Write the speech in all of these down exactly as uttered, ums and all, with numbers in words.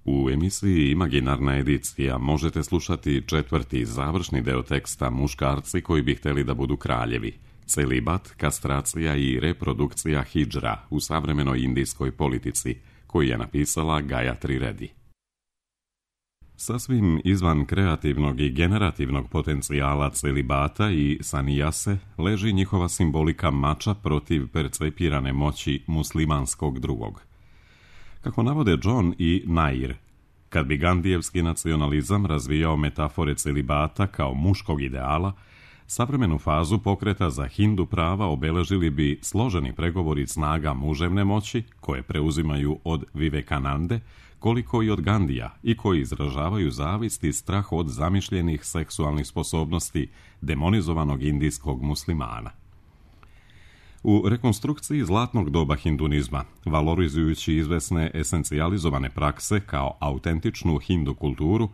U emisiji Imaginarna edicija možete slušati četvrti i završni deo teksta Muškarci koji bi hteli da budu kraljevi. Celibat, kastracija i reprodukcija hidžra u savremenoj indijskoj politici, koji je napisala Gayatri Reddy. Sasvim izvan kreativnog i generativnog potencijala celibata i sanijase leži njihova simbolika mača protiv percepirane moći muslimanskog drugog. Kako navode John i Nair, kad bi gandijevski nacionalizam razvijao metafore celibata kao muškog ideala, savremenu fazu pokreta za hindu prava obeležili bi složeni pregovori snaga muževne moći, koje preuzimaju od Vivekanande, koliko i od Gandija, i koji izražavaju zavist i strah od zamišljenih seksualnih sposobnosti demonizovanog indijskog muslimana. U rekonstrukciji zlatnog doba hindunizma, valorizujući izvesne esencijalizovane prakse kao autentičnu hindu kulturu,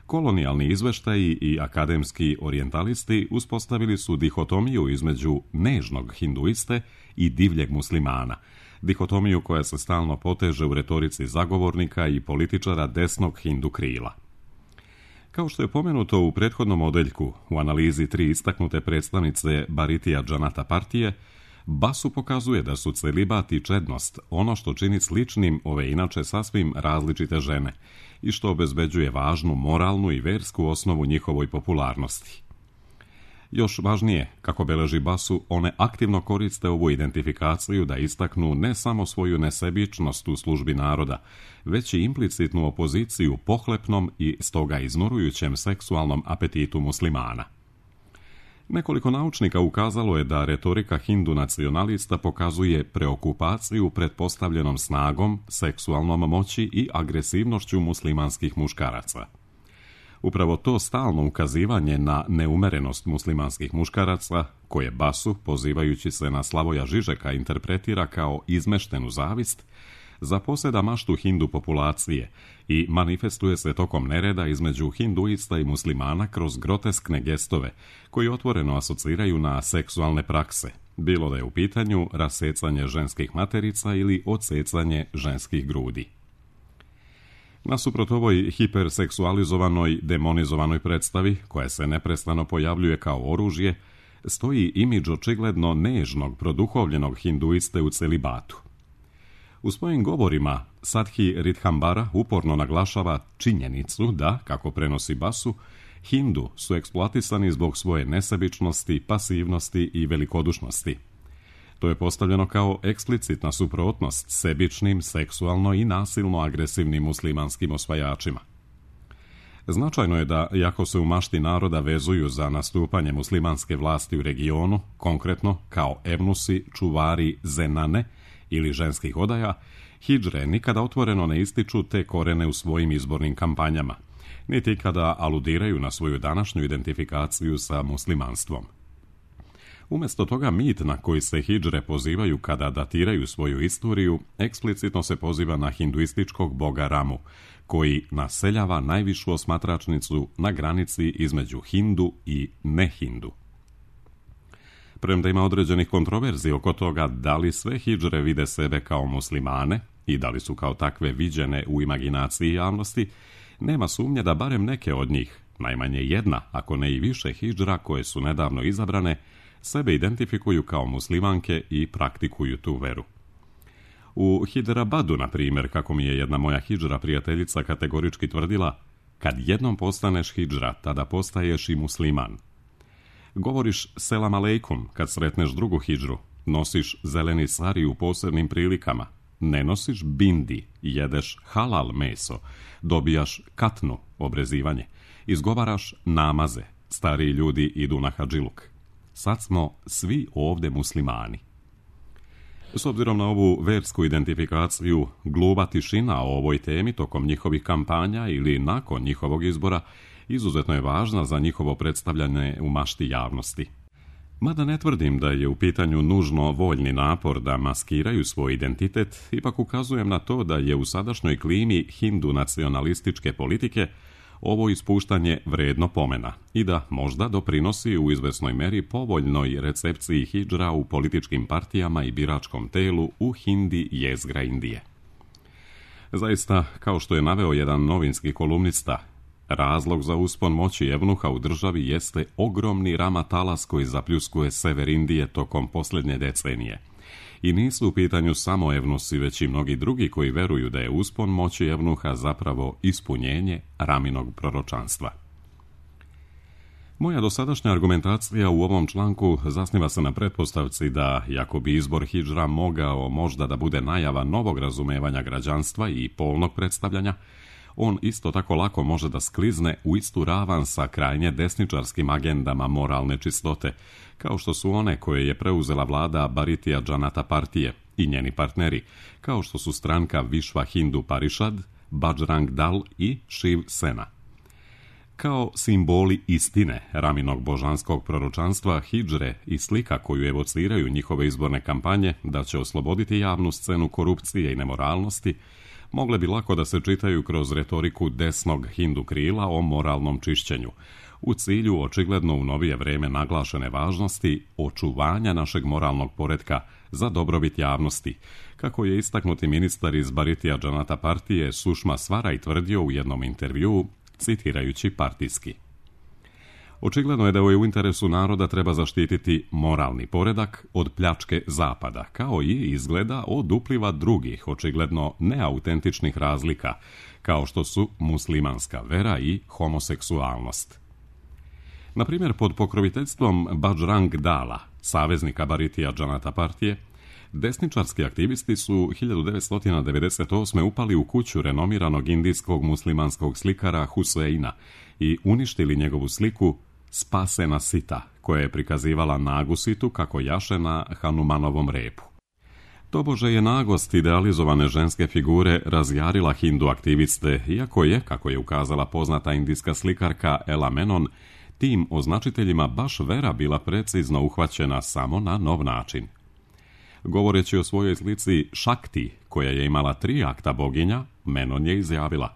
kolonijalni izveštaji i akademski orijentalisti uspostavili su dihotomiju između nežnog hinduiste i divljeg muslimana, dihotomiju koja se stalno poteže u retorici zagovornika i političara desnog hindu krila. Kao što je pomenuto u prethodnom odeljku, u analizi tri istaknute predstavnice Bharatiya Janata partije, Basu pokazuje da su celibat i čednost ono što čini sličnim ove inače sasvim različite žene i što obezbeđuje važnu moralnu i versku osnovu njihovoj popularnosti. Još važnije, kako beleži Basu, one aktivno koriste ovu identifikaciju da istaknu ne samo svoju nesebičnost u službi naroda, već i implicitnu opoziciju pohlepnom i stoga iznorujućem seksualnom apetitu muslimana. Nekoliko naučnika ukazalo je da retorika hindu nacionalista pokazuje preokupaciju pretpostavljenom snagom, seksualnom moći i agresivnošću muslimanskih muškaraca. Upravo to stalno ukazivanje na neumerenost muslimanskih muškaraca, koje Basu, pozivajući se na Slavoja Žižeka, interpretira kao izmeštenu zavist, zaposeda maštu hindu populacije i manifestuje se tokom nereda između hinduista i muslimana kroz groteskne gestove, koji otvoreno asociraju na seksualne prakse, bilo da je u pitanju rasecanje ženskih materica ili odsecanje ženskih grudi. Nasuprot ovoj hiperseksualizovanoj, demonizovanoj predstavi, koja se neprestano pojavljuje kao oružje, stoji imidž očigledno nežnog, produhovljenog hinduiste u celibatu. U svojim govorima Sadhi Ridhambara uporno naglašava činjenicu da, kako prenosi Basu, Hindu su eksploatisani zbog svoje nesebičnosti, pasivnosti i velikodušnosti. To je postavljeno kao eksplicitna suprotnost sebičnim, seksualno i nasilno agresivnim muslimanskim osvajačima. Značajno je da, iako se u mašti naroda vezuju za nastupanje muslimanske vlasti u regionu, konkretno kao evnusi, čuvari, zenane ili ženskih odaja, hidžre nikada otvoreno ne ističu te korene u svojim izbornim kampanjama, niti kada aludiraju na svoju današnju identifikaciju sa muslimanstvom. Umjesto toga mit na koji se hidžre pozivaju kada datiraju svoju istoriju, eksplicitno se poziva na hinduističkog boga Ramu, koji naseljava najvišu osmatračnicu na granici između hindu i nehindu. Premda ima određenih kontroverzi oko toga da li sve hidžre vide sebe kao muslimane i da li su kao takve viđene u imaginaciji javnosti, nema sumnje da barem neke od njih, najmanje jedna, ako ne i više hidžra koje su nedavno izabrane, sebe identifikuju kao muslimanke i praktikuju tu veru. U Hiderabadu, na primjer, kako mi je jedna moja hidžra prijateljica kategorički tvrdila, kad jednom postaneš hidžra, tada postaješ i musliman. Govoriš selam aleikum kad sretneš drugu hidžru, nosiš zeleni sari u posebnim prilikama, ne nosiš bindi, jedeš halal meso, dobijaš katnu, obrezivanje, izgovaraš namaze, stariji ljudi idu na hadžiluk. Sad smo svi ovdje muslimani. S obzirom na ovu versku identifikaciju, gluba tišina o ovoj temi tokom njihovih kampanja ili nakon njihovog izbora izuzetno je važna za njihovo predstavljanje u mašti javnosti. Mada ne tvrdim da je u pitanju nužno voljni napor da maskiraju svoj identitet, ipak ukazujem na to da je u sadašnjoj klimi hindu nacionalističke politike ovo ispuštanje vredno pomena i da možda doprinosi u izvesnoj meri povoljnoj recepciji hidžra u političkim partijama i biračkom telu u hindi jezgra Indije. Zaista, kao što je naveo jedan novinski kolumnista, razlog za uspon moći evnuha u državi jeste ogromni rama talas koji zapljuskuje sever Indije tokom posljednje decenije. I nisu u pitanju samo evnusi, već i mnogi drugi koji veruju da je uspon moći evnuha zapravo ispunjenje raminog proročanstva. Moja dosadašnja argumentacija u ovom članku zasniva se na pretpostavci da, iako bi izbor hidžra mogao možda da bude najava novog razumevanja građanstva i polnog predstavljanja, on isto tako lako može da sklizne u istu ravan sa krajnje desničarskim agendama moralne čistote, kao što su one koje je preuzela vlada Bharatiya Janata partije i njeni partneri, kao što su stranka Vishva Hindu Parishad, Bajrang Dal i Shiv Sena. Kao simboli istine raminog božanskog proročanstva, hidžre i slika koju evociraju njihove izborne kampanje da će osloboditi javnu scenu korupcije i nemoralnosti, mogle bi lako da se čitaju kroz retoriku desnog hindu krila o moralnom čišćenju, u cilju očigledno u novije vreme naglašene važnosti očuvanja našeg moralnog poretka za dobrobit javnosti, kako je istaknuti ministar iz Bharatiya Janata partije Sushma Swaraj tvrdio u jednom intervjuu, citirajući partijski. Očigledno je da je u interesu naroda treba zaštititi moralni poredak od pljačke zapada, kao i izgleda od upliva drugih, očigledno neautentičnih razlika, kao što su muslimanska vera i homoseksualnost. Na primjer, pod pokroviteljstvom Bajrang Dala, saveznika Bharatiya Janata partije, desničarski aktivisti su hiljadu devetsto devedeset osme upali u kuću renomiranog indijskog muslimanskog slikara Huseina i uništili njegovu sliku Spasena Sita, koja je prikazivala nagu situ kako jaše na Hanumanovom repu. Tobože je nagost idealizovane ženske figure razjarila hindu aktiviste, iako je, kako je ukazala poznata indijska slikarka Ella Menon, tim označiteljima baš vera bila precizno uhvaćena samo na nov način. Govoreći o svojoj slici Shakti, koja je imala tri akta boginja, Menon je izjavila: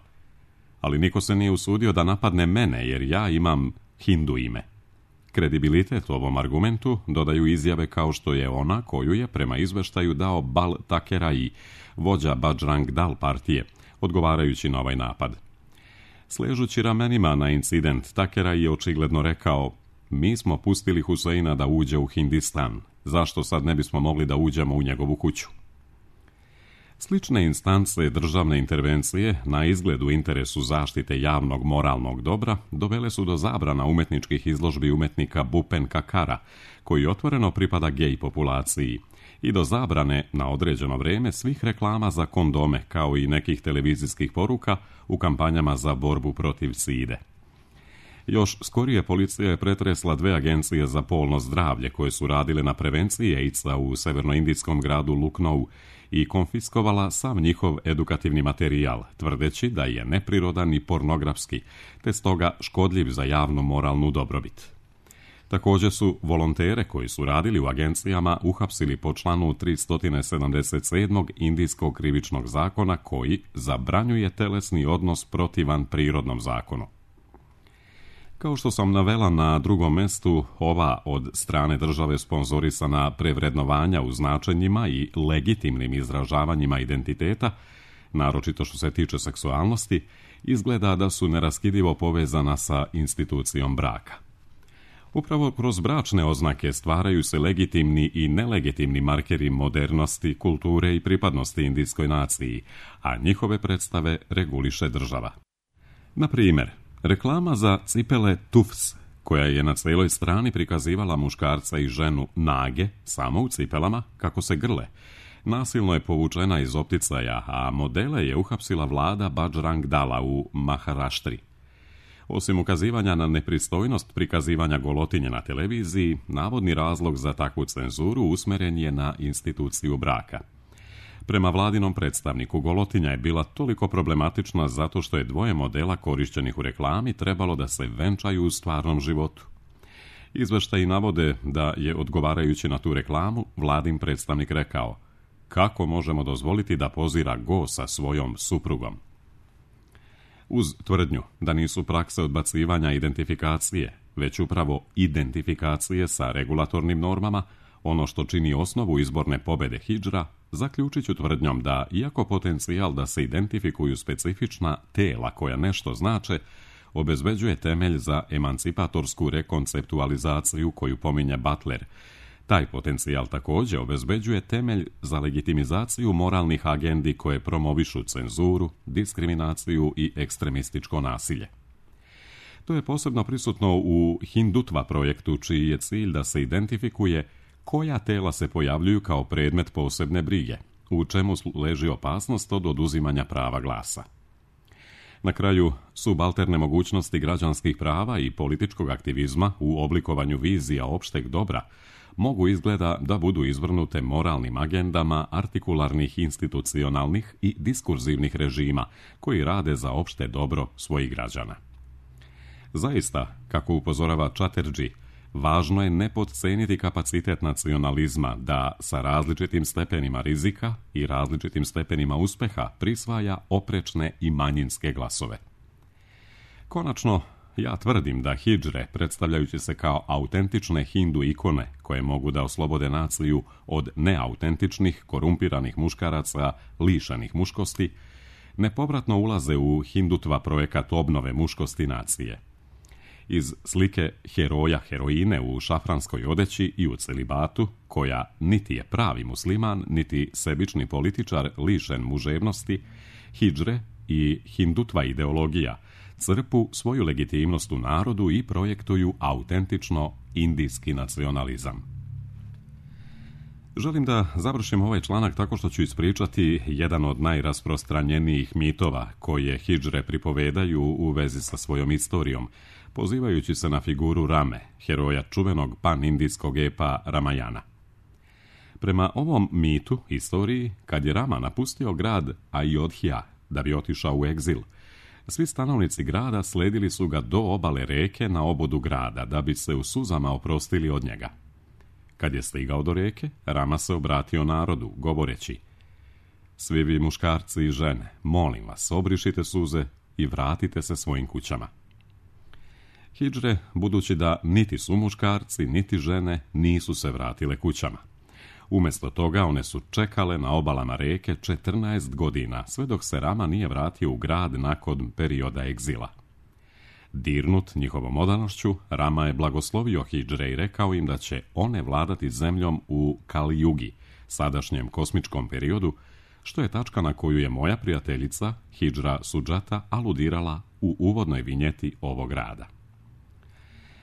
ali niko se nije usudio da napadne mene, jer ja imam hindu ime. Kredibilitet ovom argumentu dodaju izjave kao što je ona koju je prema izveštaju dao Bal Takerai, vođa Bajrang Dal partije, odgovarajući na ovaj napad. Sležući ramenima na incident, Takerai je očigledno rekao: mi smo pustili Huseina da uđe u Hindistan, zašto sad ne bismo mogli da uđemo u njegovu kuću? Slične instance državne intervencije na izgled u interesu zaštite javnog moralnog dobra dovele su do zabrana umetničkih izložbi umetnika Bupen Kakara, koji otvoreno pripada gej populaciji, i do zabrane na određeno vrijeme svih reklama za kondome, kao i nekih televizijskih poruka u kampanjama za borbu protiv side. Još skorije policija je pretresla dve agencije za polno zdravlje koje su radile na prevenciji AIDS-a u severnoindijskom gradu Lucknow i konfiskovala sav njihov edukativni materijal, tvrdeći da je neprirodan i pornografski, te stoga škodljiv za javnu moralnu dobrobit. Također su volontere koji su radili u agencijama uhapsili po članu tristo sedamdeset sedam. Indijskog krivičnog zakona koji zabranjuje telesni odnos protivan prirodnom zakonu. Kao što sam navela na drugom mestu, ova od strane države sponzorisana prevrednovanja u značenjima i legitimnim izražavanjima identiteta, naročito što se tiče seksualnosti, izgleda da su neraskidivo povezana sa institucijom braka. Upravo kroz bračne oznake stvaraju se legitimni i nelegitimni markeri modernosti, kulture i pripadnosti indijskoj naciji, a njihove predstave reguliše država. Na primjer, reklama za cipele Tufs, koja je na cijeloj strani prikazivala muškarca i ženu nage, samo u cipelama, kako se grle, nasilno je povučena iz opticaja, a modele je uhapsila vlada Bajrang Dala u Maharaštri. Osim ukazivanja na nepristojnost prikazivanja golotinje na televiziji, navodni razlog za takvu cenzuru usmjeren je na instituciju braka. Prema vladinom predstavniku, golotinja je bila toliko problematična zato što je dvoje modela korišćenih u reklami trebalo da se venčaju u stvarnom životu. Izveštaji navode da je, odgovarajući na tu reklamu, vladin predstavnik rekao: kako možemo dozvoliti da pozira go sa svojom suprugom? Uz tvrdnju da nisu prakse odbacivanja identifikacije, već upravo identifikacije sa regulatornim normama, ono što čini osnovu izborne pobede hidžra, zaključit ću tvrdnjom da, iako potencijal da se identifikuju specifična tela koja nešto znače, obezbeđuje temelj za emancipatorsku rekonceptualizaciju koju pominje Butler, taj potencijal također obezbeđuje temelj za legitimizaciju moralnih agendi koje promovišu cenzuru, diskriminaciju i ekstremističko nasilje. To je posebno prisutno u Hindutva projektu, čiji je cilj da se identifikuje koja tela se pojavljuju kao predmet posebne brige, u čemu leži opasnost od oduzimanja prava glasa. Na kraju, subalterne mogućnosti građanskih prava i političkog aktivizma u oblikovanju vizija opšteg dobra mogu izgleda da budu izvrnute moralnim agendama artikularnih institucionalnih i diskurzivnih režima koji rade za opšte dobro svojih građana. Zaista, kako upozorava Chatterjee, važno je ne potceniti kapacitet nacionalizma da sa različitim stepenima rizika i različitim stepenima uspeha prisvaja oprečne i manjinske glasove. Konačno, ja tvrdim da hidžre, predstavljajući se kao autentične hindu ikone koje mogu da oslobode naciju od neautentičnih, korumpiranih muškaraca lišenih muškosti, nepovratno ulaze u Hindutva projekat obnove muškosti nacije. Iz slike heroja heroine u šafranskoj odeći i u celibatu, koja niti je pravi musliman, niti sebični političar lišen muževnosti, hidžre i Hindutva ideologija crpu svoju legitimnost u narodu i projektuju autentično indijski nacionalizam. Želim da završim ovaj članak tako što ću ispričati jedan od najrasprostranjenijih mitova koje hidžre pripovedaju u vezi sa svojom istorijom, pozivajući se na figuru Rame, heroja čuvenog pan-indijskog epa Ramayana. Prema ovom mitu, istoriji, kad je Rama napustio grad Ayodhya da bi otišao u egzil, svi stanovnici grada sledili su ga do obale reke na obodu grada da bi se u suzama oprostili od njega. Kad je stigao do reke, Rama se obratio narodu, govoreći: svi vi muškarci i žene, molim vas, obrišite suze i vratite se svojim kućama. Hidžre, budući da niti su muškarci, niti žene, nisu se vratile kućama. Umjesto toga one su čekale na obalama reke četrnaest godina, sve dok se Rama nije vratio u grad nakon perioda egzila. Dirnut njihovom odanošću, Rama je blagoslovio hidžre i rekao im da će one vladati zemljom u Kali Jugi, sadašnjem kosmičkom periodu, što je tačka na koju je moja prijateljica, hidžra Sujata, aludirala u uvodnoj vinjeti ovog rada.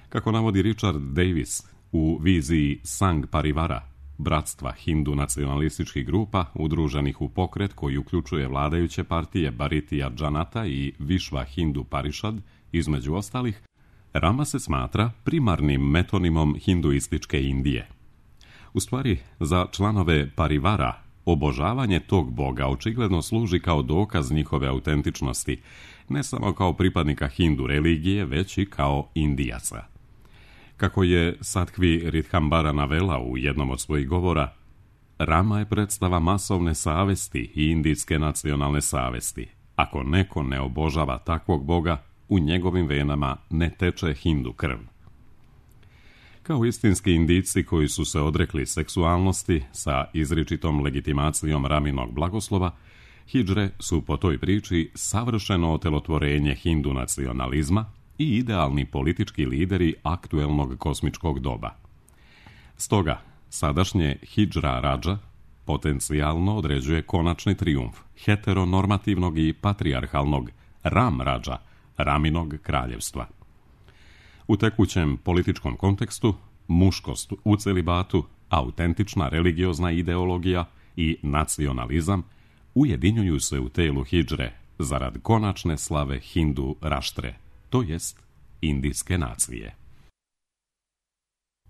Kako navodi Richard Davis u viziji Sangh Parivara, bratstva hindu nacionalističkih grupa udruženih u pokret koji uključuje vladajuće partije Bharatiya Janata i Vishva Hindu Parishad, između ostalih, Rama se smatra primarnim metonimom hinduističke Indije. U stvari, za članove Parivara, obožavanje tog boga očigledno služi kao dokaz njihove autentičnosti, ne samo kao pripadnika hindu religije, već i kao Indijaca. Kako je Sattvi Ridhambara navela u jednom od svojih govora, Rama je predstava masovne savesti i indijske nacionalne savesti. Ako neko ne obožava takvog boga, u njegovim venama ne teče hindu krv. Kao istinski Indijci koji su se odrekli seksualnosti sa izričitom legitimacijom Raminog blagoslova, hidžre su po toj priči savršeno otelotvorenje hindu nacionalizma i idealni politički lideri aktuelnog kosmičkog doba. Stoga, sadašnje hidžra rađa potencijalno određuje konačni trijumf heteronormativnog i patrijarhalnog Ram rađa, Raminog kraljevstva. U tekućem političkom kontekstu, muškost u celibatu, autentična religiozna ideologija i nacionalizam ujedinjuju se u telu hidžre zarad konačne slave hindu raštre, to jest indijske nacije.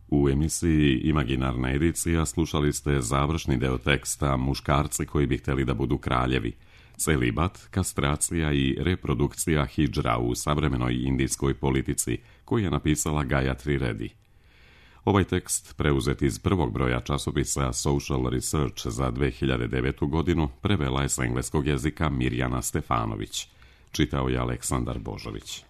U emisiji Imaginarna edicija slušali ste završni deo teksta Muškarci koji bi htjeli da budu kraljevi, celibat, kastracija i reprodukcija hidžra u savremenoj indijskoj politici, koju je napisala Gayatri Reddy. Ovaj tekst, preuzet iz prvog broja časopisa Social Research za dve hiljade devetu. godinu, prevela je s engleskog jezika Mirjana Stefanović. Čitao je Aleksandar Božović.